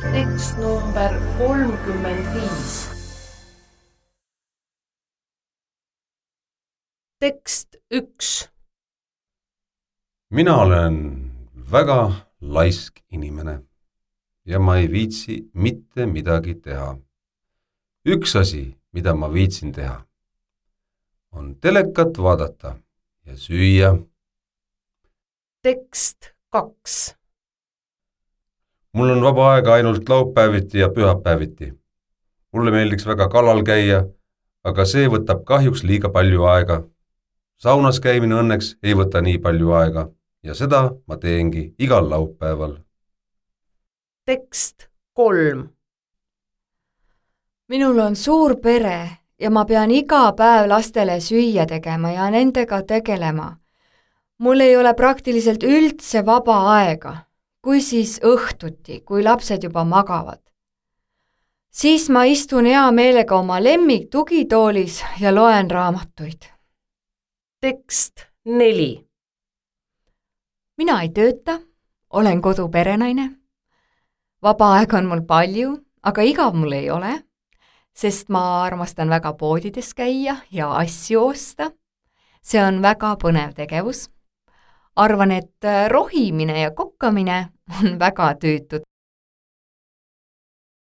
Tekst number 35. Tekst 1. Mina olen väga laisk inimene ja ma ei viitsi mitte midagi teha. Üks asi, mida ma viitsin teha, on telekat vaadata ja süüa. Tekst 2. Mul on vaba aega ainult laupäeviti ja pühapäeviti. Mulle meeldiks väga kalal käia, aga see võtab kahjuks liiga palju aega. Saunas käimine õnneks ei võta nii palju aega ja seda ma teengi igal laupäeval. Tekst 3. Minul on suur pere ja ma pean iga päev lastele süüa tegema ja nendega tegelema. Mul ei ole praktiliselt üldse vaba aega, kui siis õhtuti, kui lapsed juba magavad. Siis ma istun hea meelega oma lemmik tugitoolis ja loen raamatuid. Tekst 4. Mina ei tööta, olen koduperenaine. Vaba aega on mul palju, aga igav mul ei ole, sest ma armastan väga poodides käia ja asju osta. See on väga põnev tegevus. Arvan, et rohimine ja kokkamine on väga tüütud.